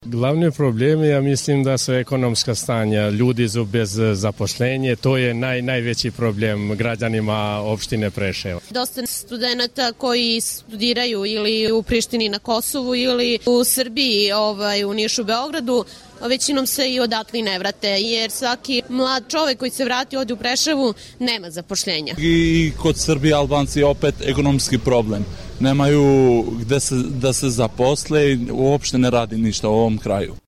Glavni problem, ja mislim da su ekonomska stanja, ljudi su bez zaposlenja, to je najveći problem građanima opštine Preševo. Dosta studenata koji studiraju ili u Prištini na Kosovu ili u Srbiji, u Nišu, Beogradu, većinom se i odatle ne vrate, jer svaki mlad čovek koji se vrati ovde u Preševu nema zapošljenja. I kod Srbije Albanci opet ekonomski problem. Nemaju gde da se zaposle i uopšte ne radi ništa u ovom kraju.